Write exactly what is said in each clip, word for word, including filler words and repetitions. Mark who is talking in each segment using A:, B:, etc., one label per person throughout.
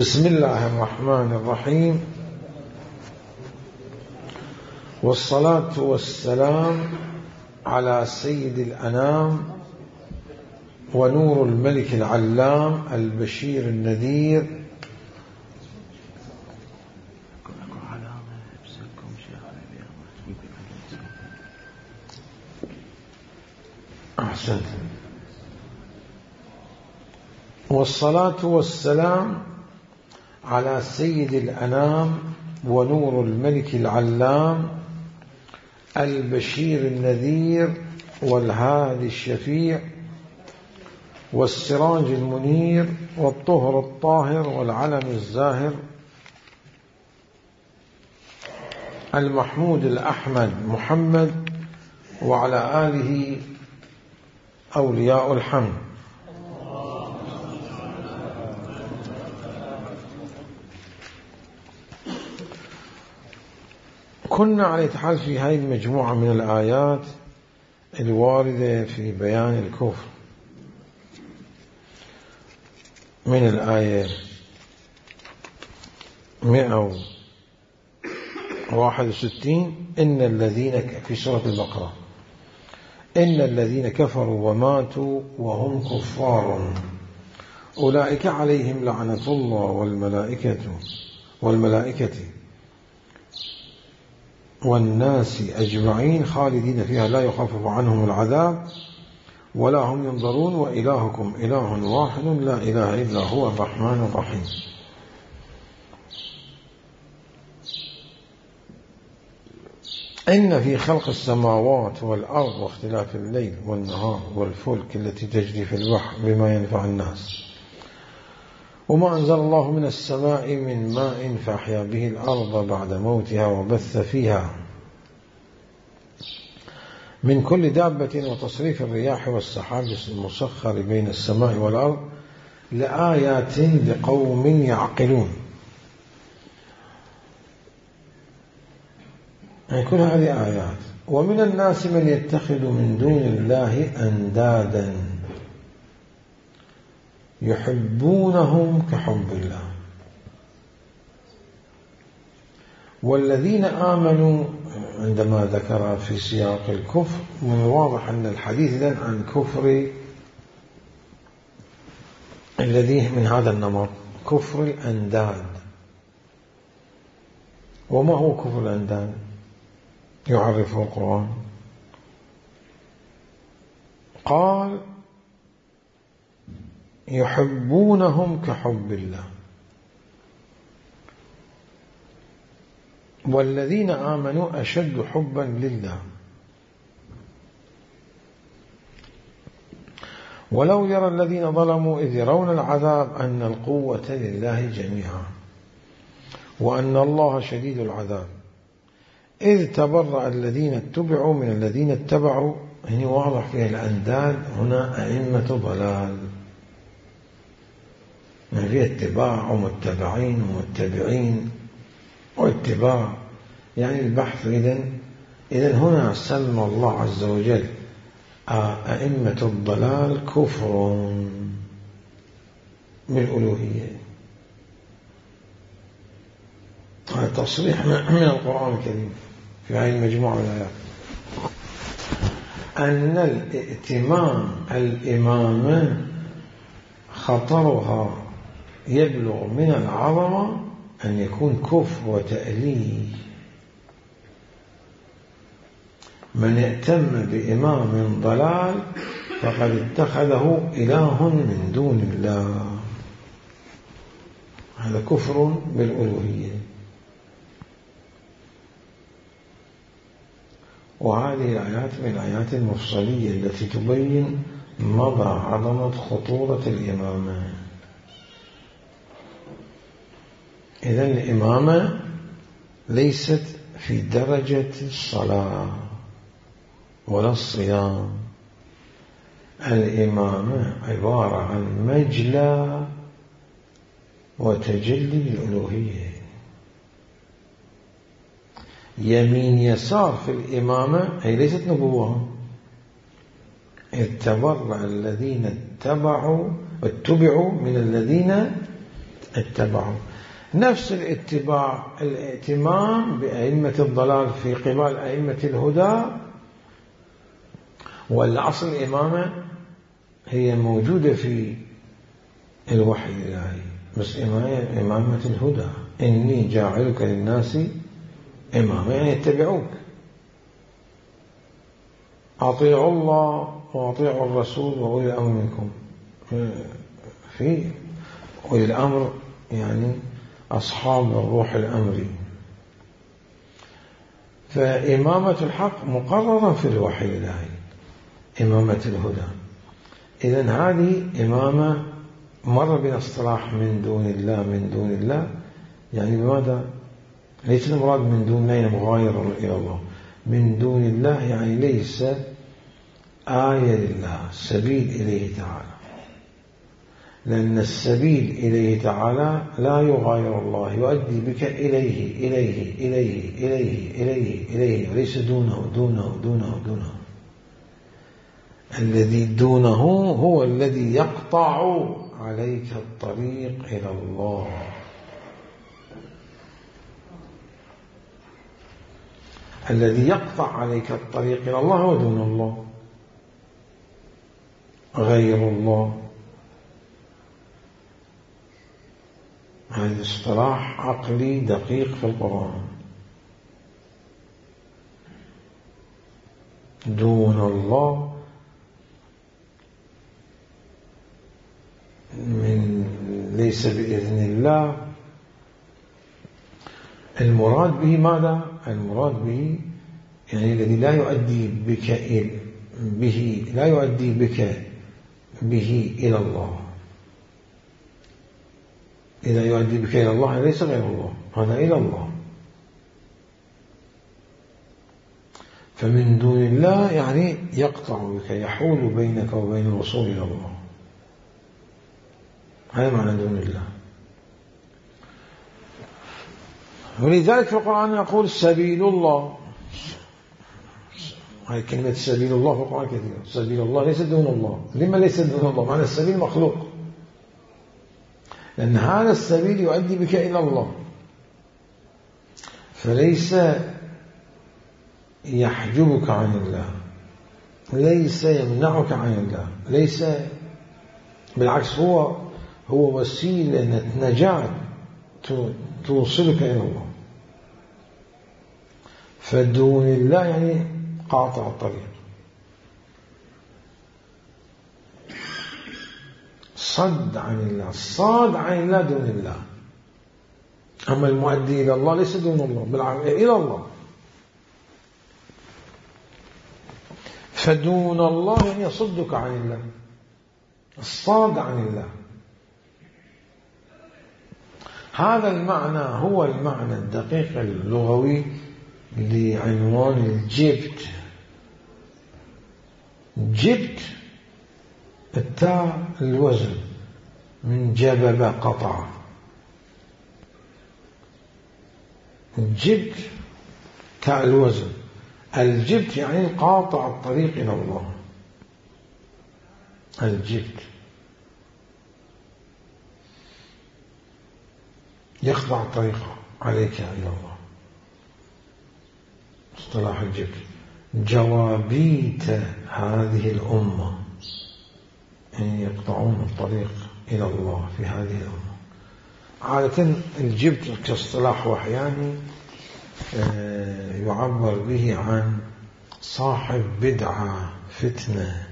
A: بسم الله الرحمن الرحيم، والصلاة والسلام على سيد الأنام ونور الملك العلام البشير النذير أحسنت. والصلاة والسلام على سيد الأنام ونور الملك العلام البشير النذير والهادي الشفيع والسراج المنير والطهر الطاهر والعلم الزاهر المحمود الأحمد محمد وعلى آله أولياء الحمد. كنا على الاتحاد في هذه المجموعة من الآيات الواردة في بيان الكفر، من الآية مئة وواحد وستين إن الذين في سورة البقرة إن الذين كفروا وماتوا وهم كفار أولئك عليهم لعنة الله والملائكة والملائكة والناس أجمعين خالدين فيها لا يخفف عنهم العذاب ولا هم ينظرون وإلهكم إله واحد لا إله إلا هو الرحمن الرحيم. إن في خلق السماوات والأرض واختلاف الليل والنهار والفلك التي تجري في البحر بما ينفع الناس وما أنزل الله من السماء من ماء فأحيا به الأرض بعد موتها وبث فيها من كل دابة وتصريف الرياح والسحاب المسخر بين السماء والأرض لآيات لقوم يعقلون. يعني كل هذه آيات. ومن الناس من يتخذ من دون الله أندادا يحبونهم كحب الله والذين آمنوا. عندما ذكر في سياق الكفر من الواضح أن الحديث إذن عن كفر الذي من هذا النمط، كفر الأنداد. وما هو كفر الأنداد؟ يعرفه القرآن، قال يحبونهم كحب الله والذين آمنوا أشد حبا لله ولو يرى الذين ظلموا إذ يرون العذاب أن القوة لله جميعا وأن الله شديد العذاب إذ تبرأ الذين اتبعوا من الذين اتبعوا. هنا واضح فيها الأنداد هنا أئمة ضلال، يعني فيها اتباع ومتبعين ومتبعين واتباع، يعني البحث. إذن إذن هنا سمى الله عز وجل أئمة الضلال كفر بالألوهية. هذا تصريح من القرآن الكريم في هذه المجموعة من الآيات أن الائتمام الإمامة خطرها يبلغ من العظمة أن يكون كفر وتأليه. من ائتم بإمام ضلال فقد اتخذه إله من دون الله، هذا كفر بالألوهية. وهذه الآيات من الآيات المفصلية التي تبين مدى عظمة خطورة الإمامة. إذن الإمامة ليست في درجة الصلاة ولا الصيام، الإمامة عبارة عن مجلى وتجلي الألوهية. يمين يسار في الإمامة هي ليست نبوة. إذ تبرأ الذين اتبعوا اتبعوا من الذين اتبعوا. نفس الاتباع الائتمام بأئمة الضلال في قبال أئمة الهدى، والأصل الإمامة هي موجودة في الوحي الإلهي، بس إمامة الهدى، إني جاعلك للناس إماما، يعني يتبعوك. أطيعوا الله وأطيعوا الرسول وأولي الأمر منكم. في أولي الأمر يعني أصحاب الروح الأمري. فإمامة الحق مقررة في الوحي الإلهي، إمامة الهدى. إذن هذه إمامة مر بنا اصطلاح من دون الله، من دون الله يعني بماذا؟ ليس المراد من دون الله مغاير إلى الله، من دون الله يعني ليس آية لله، سبيل إليه تعالى، لأن السبيل إليه تعالى لا يغاير الله، يؤدي بك إليه إليه إليه إليه إليه إليه، وليس دونه دونه دونه دونه. الذي دونه هو الذي يقطع عليك الطريق إلى الله. الذي يقطع عليك الطريق إلى الله هو دون الله، غير الله. هذا اصطلاح عقلي دقيق في القرآن. دون الله من ليس بإذن الله، المراد به ماذا؟ المراد به يعني الذي لا يؤدي بك به لا يؤدي بك به إلى الله. إذا يؤدي بك إلى الله ليس غير الله، هذا إلى الله. فمن دون الله يعني يقطع بك، يحول بينك وبين الوصول إلى الله. هذا معنى دون الله. ولذلك في القرآن يقول سبيل الله. هذه كلمة سبيل الله في القرآن كثيرة. سبيل الله ليس دون الله. لما ليس دون الله؟ معنى السبيل مخلوق، لأن هذا السبيل يؤدي بك إلى الله، فليس يحجبك عن الله، ليس يمنعك عن الله، ليس، بالعكس هو هو وسيلة نجاة توصلك إلى الله. فدون الله يعني قاطع الطريق، صد عن الله، صاد عن الله دون الله. أما المؤدي إلى الله ليس دون الله، بالعكس إلى الله. فدون الله يعني يصدك عن الله، الصاد عن الله. هذا المعنى هو المعنى الدقيق اللغوي لعنوان الجبت. جبت التاء الوزن من جبب قطع. الجبت تاء الوزن، الجبت يعني قاطع الطريق إلى الله. الجبت يقطع الطريق عليك إلى الله، اصطلاح الجبت. جوابيت هذه الأمة يعني يقطعون الطريق إلى الله في هذه الأمة. عادة الجبت كاصطلاح وحياني يعبر به عن صاحب بدعة فتنة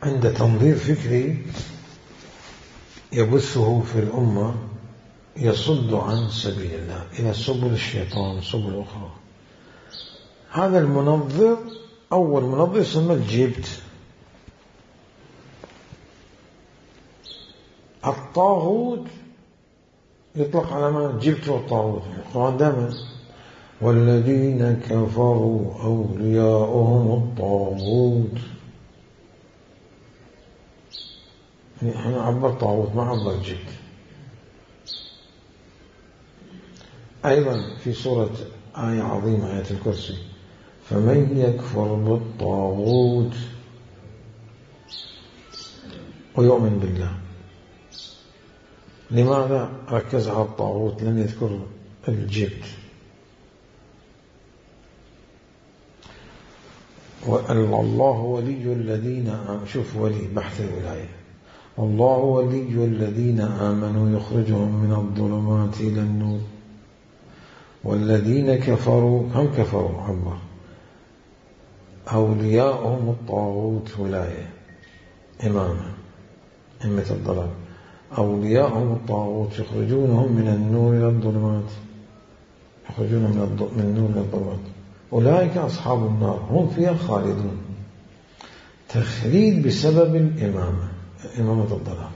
A: عند تنظير فكري يبثه في الأمة، يصد عن سبيل الله إلى سبل الشيطان، سبل أخرى. هذا المنظر أول منظر يسمى الجبت. الطاغوت يطلق على ما الجبت والطاغوت. القرآن دائما والذين كفروا أولياؤهم الطاغوت، هنا عبر طاغوت ما عبر جبت. أيضا في سورة آية عظيمة آية الكرسي فمن يكفر بالطاغوت ويؤمن بالله لماذا ركز على الطاغوت لم يذكر الجبت؟ الله ولي الذين آمنوا، شوف ولي بحث الولاية، الله ولي الذين آمنوا يخرجهم من الظلمات إلى النور والذين كفروا، هم كفروا عبر أولياءهم الطاغوت، ولاية إمامة إمة الضلال، أولياءهم الطاغوت يخرجونهم من النور إلى الظلمات، يخرجونهم من النور إلى الظلمات، أولئك أصحاب النار هم فيها خالدون. تخليد بسبب الإمامة، إمامة الضلال.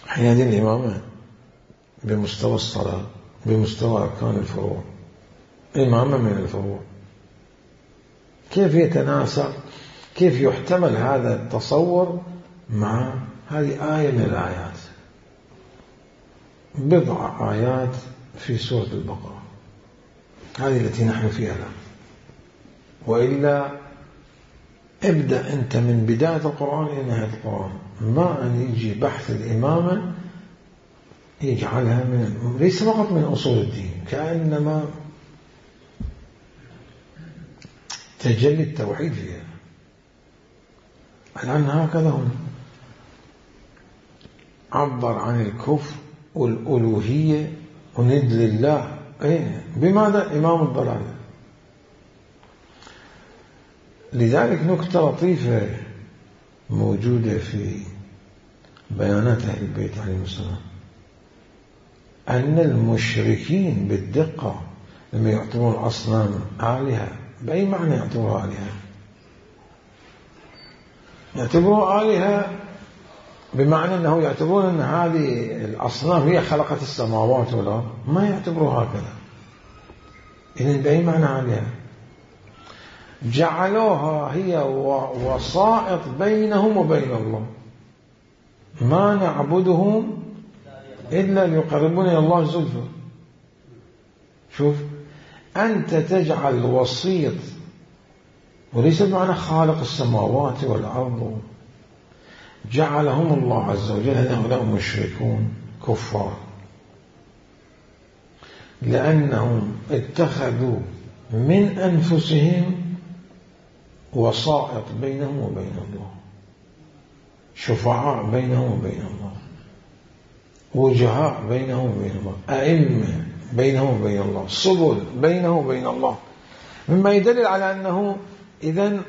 A: هذه الإمامة بمستوى الصلاة، بمستوى أركان الفروع، إمامة من الفروع. كيف يتناسق، كيف يحتمل هذا التصور مع هذه آية من الآيات، بضع آيات في سورة البقرة، هذه التي نحن فيها الآن. وإلا ابدأ أنت من بداية القرآن إلى نهاية القرآن، ما أن يجي بحث الإمامة يجعلها من ليس فقط من أصول الدين، كأنما تجلي التوحيد فيها. الآن هكذا هم عبر عن الكفر والألوهية وند لله، إيه؟ بماذا؟ إمام الضلال. لذلك نكتة لطيفة موجودة في بيانات أهل البيت عليهم السلام، أن المشركين بالدقة لما يعتبرون الأصنام آلهة، بأي معنى يعتبروها آلهة؟ يعتبروها آلهة بمعنى أنه يعتبرون أن هذه الأصنام هي خلقت السماوات والأرض، ما يعتبروها هكذا. إذن بأي معنى آلهة؟ جعلوها هي وسائط بينهم وبين الله، ما نعبدهم إلا ليقربون إلى الله زلفى. شوف، أنت تجعل وسيط، وليس بمعنى خالق السماوات والأرض، جعلهم الله عز وجل هؤلاء مشركون كفار، لأنهم اتخذوا من أنفسهم وسائط بينهم وبين الله، شفعاء بينهم وبين الله، وجهاء بينهم وبين الله، أئمة بينهم وبين الله، سبل بينهم وبين الله، مما يدلل على أنه إذن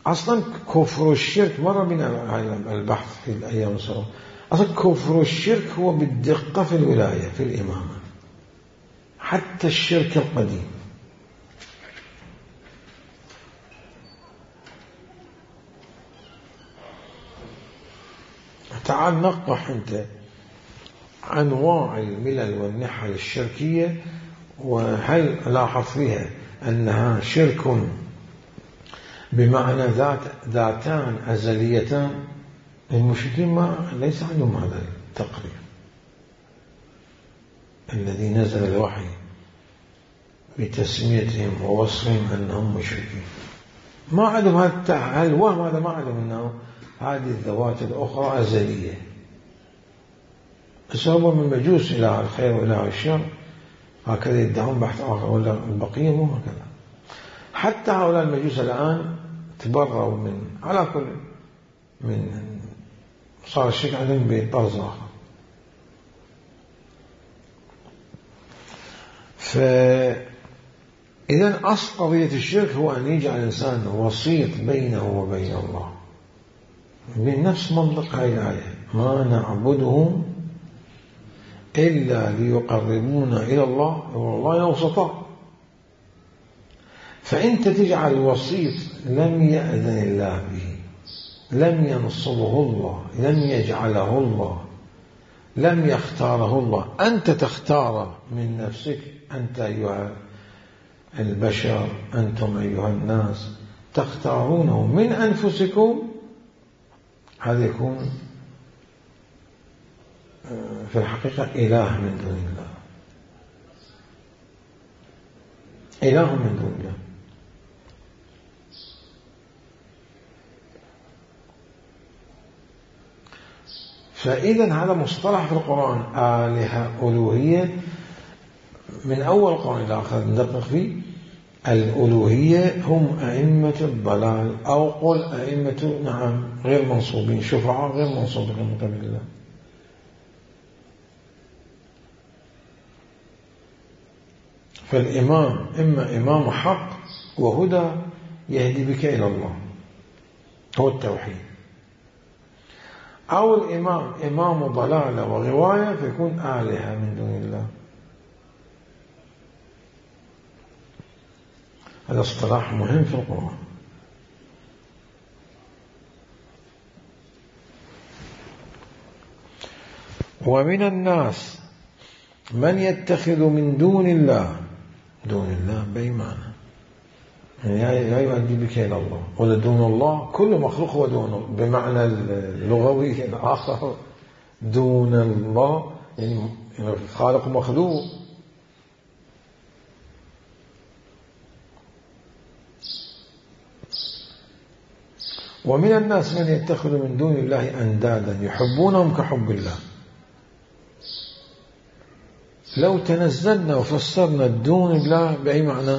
A: أصلا كفر الشرك مر بنا البحث في الأيام السابقة، أصلا كفر الشرك هو بالدقة في الولاية في الإمامة، حتى الشرك القديم. تعال نقح أنت أنواع الملل والنحل الشركية، وهل لاحظ فيها أنها شرك بمعنى ذات ذاتان أزليتان؟ المشركين ما ليس عندهم هذا التقرير الذي نزل الوحي بتسميتهم ووصفهم أنهم مشركين، ما عندهم هذا الوهم، هذا ما عندهم أنه هذه الذوات الأخرى أزلية. أسباب من مجوس إلى الخير وإلى الشر، هكذا يدعون بحث آخر، ولا البقية مو هكذا. حتى هؤلاء المجوس الآن تبروا من على كل من صار الشرك عندهم بطرز آخر. فإذا أصل قضية الشرك هو أن يجعل الإنسان وسيط بينه وبين الله، بنفس منطق هذه الآية، ما نعبدهم إلا ليقربونا إلى الله والله وسطاء. فأنت تجعل وسيط لم يأذن الله به، لم ينصبه الله، لم يجعله الله، لم يختاره الله، أنت تختار من نفسك، أنت أيها البشر، أنتم أيها الناس تختارونه من أنفسكم، هذا يكون في الحقيقة إله من دون الله، إله من دون الله. فإذا هذا مصطلح في القرآن، آلهة ألوهية، من أول القرآن إلى آخر ندقق فيه. الألوهية هم أئمة الضلال، أو قل أئمة نعم غير منصوبين، شفعاء غير منصوبين من قبل الله. فالإمام إما إمام حق وهدى يهدي بك إلى الله، هو التوحيد، أو الإمام إمام ضلالة وغواية فيكون آلهة من دون الله. هذا اصطلاح مهم في القرآن. ومن الناس من يتخذ من دون الله، دون الله بأي معنى؟ يعني لا يؤدي بك إلى الله، ولا دون الله كل مخلوق هو دونه بمعنى اللغوي الآخر. دون الله يعني خالق مخلوق. ومن الناس من يتخذ من دون الله أندادا يحبونهم كحب الله. لو تنزلنا وفسرنا دون الله بأي معنى؟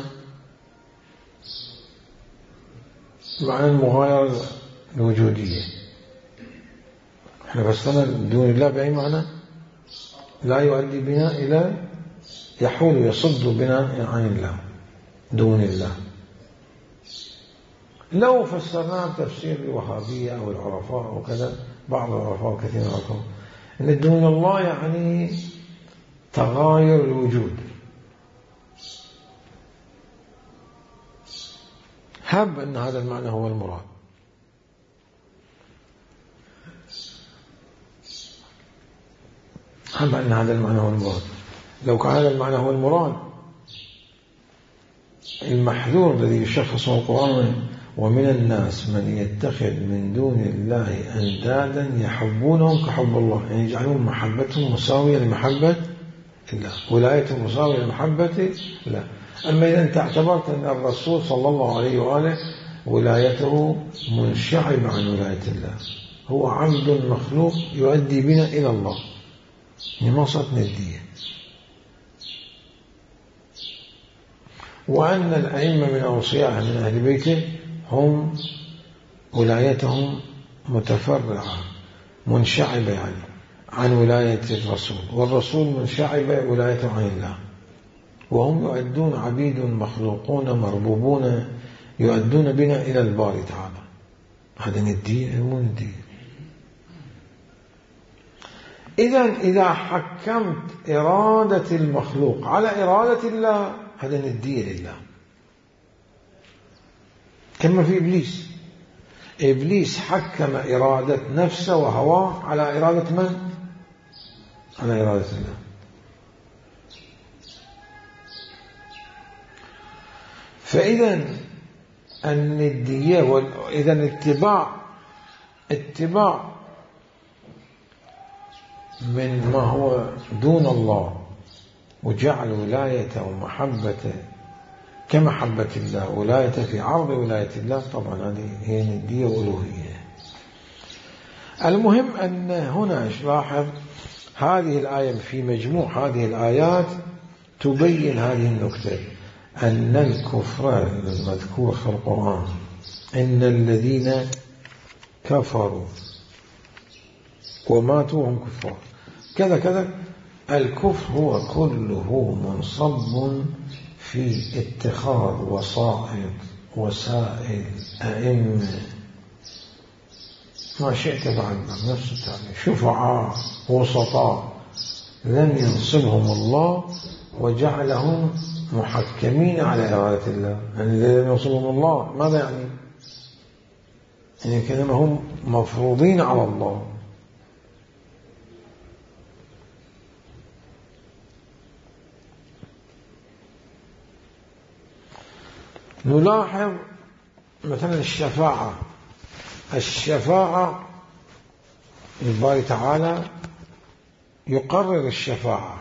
A: معنى المغايرة الوجودية. احنا فسرنا دون الله بأي معنى؟ لا يؤدي بنا إلى، يحول يصد بنا عن الله، دون الله. لو فسرناه بتفسير الوهابية أو العرفاء أو كذا، بعض العرفاء وكثير منهم، أن دون الله يعني تغاير الوجود. هب أن هذا المعنى هو المراد. هب أن هذا المعنى هو المراد. لو كان هذا المعنى هو المراد، المحذور الذي يشخصه القرآن: ومن الناس من يتخذ من دون الله أندادا يحبونهم كحب الله، يعني يجعلون محبتهم مساوية لمحبة الله، ولايتهم مساوية لمحبة الله. أما إذا أنت اعتبرت أن الرسول صلى الله عليه وآله ولايته منشعبة عن ولاية الله، هو عبد مخلوق يؤدي بنا إلى الله، ما صارت ندية. وأن الأئمة من أوصيائه من أهل بيته هم ولايتهم متفرعة منشعبة يعني عن ولاية الرسول، والرسول منشعبة ولايته عن الله، وهم يؤدون عبيد مخلوقون مربوبون يؤدون بنا إلى الباري تعالى. هذا ندية مو ندية. إذن إذا حكمت إرادة المخلوق على إرادة الله، هذا ندية لله. كما في إبليس، إبليس حكم إرادة نفسه وهواه على إرادة من؟ على إرادة الله. فإذا الندية وإذا اتباع اتباع من ما هو دون الله وجعل ولايته ومحبته كمحبة الله، ولايته في عرض ولاية الله، طبعا هذه هي ندية وألوهية. المهم أن هنا لاحظ هذه الآية في مجموع هذه الآيات تبين هذه النكتة، أن الكفر المذكور في القرآن، إن الذين كفروا وماتوا هم كفار كذا كذا، الكفر هو كله منصب في اتخاذ وسائط وسائل أئمة ما شئت بعد نفس التعبير، شفعاء وسطاء لم ينصبهم الله وجعلهم محكمين على إرادة الله. يعني إذا لم ينصبهم الله ماذا يعني؟ يعني كأنما هم مفروضين على الله. نلاحظ مثلا الشفاعة. الشفاعة الباري تعالى يقرر الشفاعة،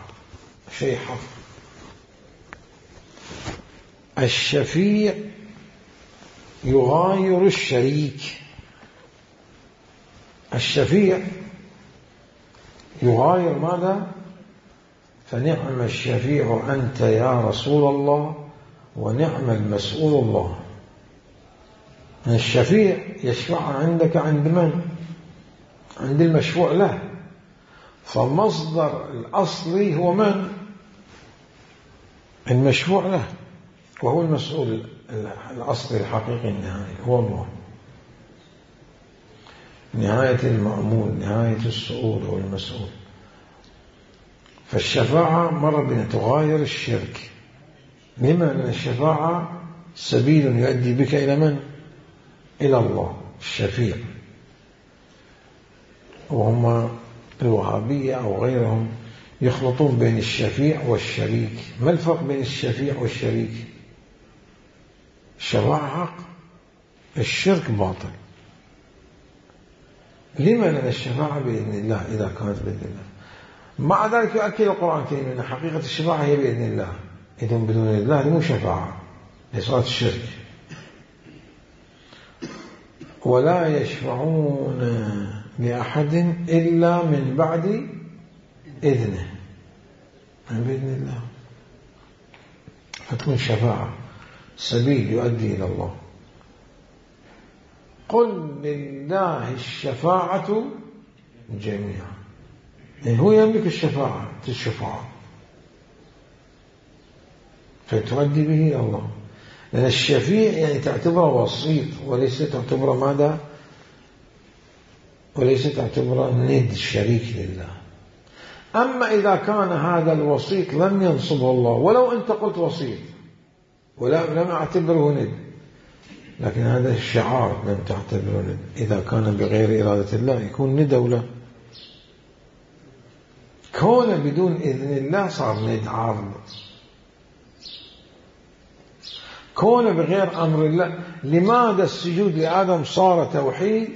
A: شيء حفظ. الشفيع يغاير الشريك. الشفيع يغاير ماذا؟ فنعم الشفيع أنت يا رسول الله ونعم المسؤول الله. الشفيع يشفع عندك عند من؟ عند المشفوع له. فالمصدر الأصلي هو من؟ المشفوع له، وهو المسؤول الأصلي الحقيقي النهائي هو الله. نهاية المأمول، نهاية السؤول هو المسؤول. فالشفاعة مرة بنا تغاير الشرك. لما؟ أن الشفاعة سبيل يؤدي بك إلى من؟ إلى الله الشفيع. وهم الوهابية أو غيرهم يخلطون بين الشفيع والشريك. ما الفرق بين الشفيع والشريك؟ الشفاعة حق، الشرك باطل. لما؟ لأن الشفاعة بإذن الله إذا كانت بإذن الله. مع ذلك يؤكد القرآن الكريم أن حقيقة الشفاعة هي بإذن الله. إذن بدون الله مو شفاعة، لصلاة الشرك. ولا يشفعون لأحد إلا من بعد إذنه، يعني بإذن الله. فتكون شفاعة سبيل يؤدي إلى الله. قل لله الشفاعة جميعا، يعني هو يملك الشفاعة الشفاعة فتؤدي به إلى الله. لأن الشفيع يعني تعتبره وسيط وليس تعتبره ماذا؟ وليس تعتبره ند شريك لله. أما إذا كان هذا الوسيط لم ينصبه الله، ولو أنت قلت وسيط ولا لم أعتبره ند، لكن هذا الشعار لم تعتبره ند. إذا كان بغير إرادة الله يكون ند أو لا؟ كونه بدون إذن الله صار ند عارض. كونه بغير أمر الله. لماذا السجود لآدم صار توحيد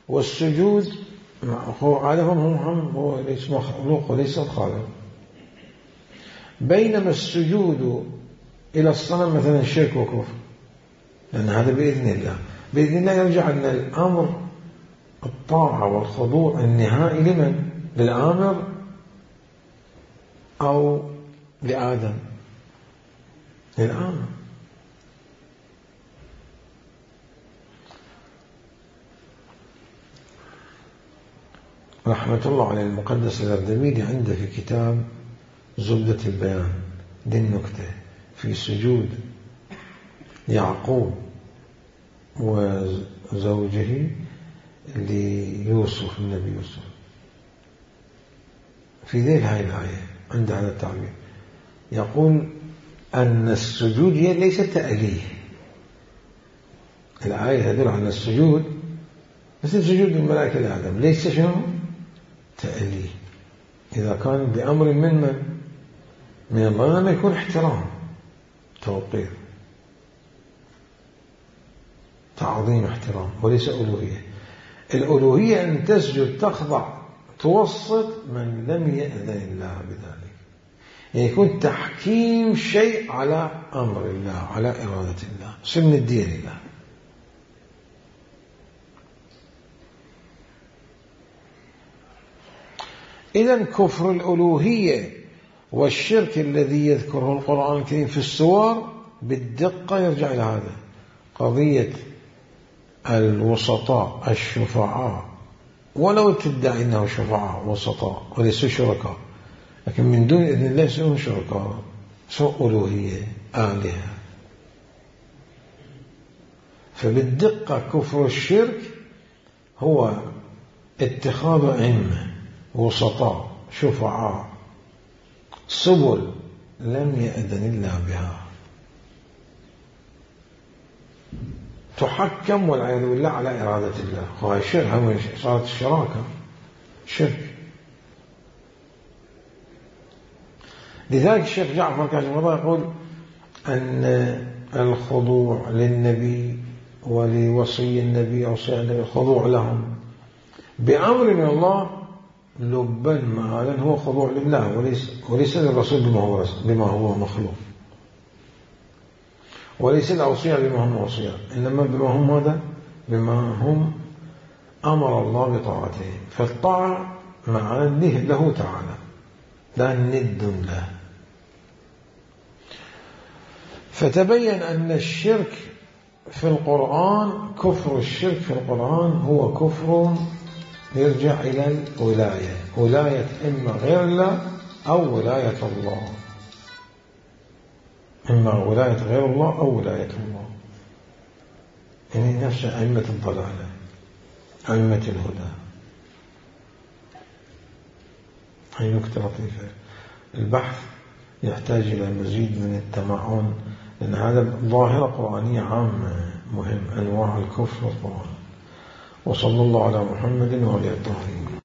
A: والسجود هو آدم هم هو ليس مخلوق وليس الخالق؟ بينما السجود إلى الصنم مثلا شرك وكفر، لأن هذا بإذن الله. بإذن الله يرجع أن الأمر الطاعة والخضوع النهائي لمن؟ للآمر أو لآدم؟ للآمر. رحمة الله على المقدس الأردبيلي عنده في كتاب زبدة البيان دي النكتة في سجود يعقوب وزوجه ليوسف النبي يوسف. في ذيل هاي الآية عند هذا التعبير يقول أن السجود ليس تأليه. الآية تدل على السجود مثل سجود الملائكة لآدم ليس شنو؟ تأليه. إذا كان بأمر من من؟ من الله ما يكون احترام، توقير، تعظيم، احترام، وليس ألوهية. الألوهية أن تسجد تخضع توسط من لم يأذن الله بذلك، يعني يكون تحكيم شيء على أمر الله على إرادة الله، سن الدين الله. إذن كفر الألوهية والشرك الذي يذكره القرآن الكريم في السور بالدقة يرجع إلى هذا، قضية الوسطاء الشفعاء، ولو تدعي أنه شفعاء وسطاء وليسوا شركاء، لكن من دون إذن الله يصيرون شركاء، سوء ألوهية آلهة. فبالدقة كفر الشرك هو اتخاذ أئمة وسطاء شفعاء سبل لم يأذن الله بها تحكم والعياذ بالله على إرادة الله. وهي الشرك، صارت الشراكة شرك. لذلك الشيخ جعفر كاشف الله يقول أن الخضوع للنبي ولوصي النبي أو صي النبي الخضوع لهم بأمر من الله لبا مآلا هو خضوع لله وليس, وليس للرسول بما هو, بما هو مخلوق، وليس الأوصياء بما هم أوصياء، إنما بما هم ماذا؟ بما هم أمر الله بطاعته. فالطاعة مع أنه له تعالى لا ند له. فتبين أن الشرك في القرآن، كفر الشرك في القرآن هو كفر يرجع إلى الولاية، ولاية إما غير الله أو ولاية الله، إما ولاية غير الله أو ولاية الله، يعني نفس أئمة الضلالة أئمة الهدى. هي نكتة لطيفة. البحث يحتاج إلى مزيد من التمعن، لأن هذا ظاهرة قرآنية عامة مهم، أنواع الكفر والقرآن. وصلى الله على محمد وعلى آله الطاهرين.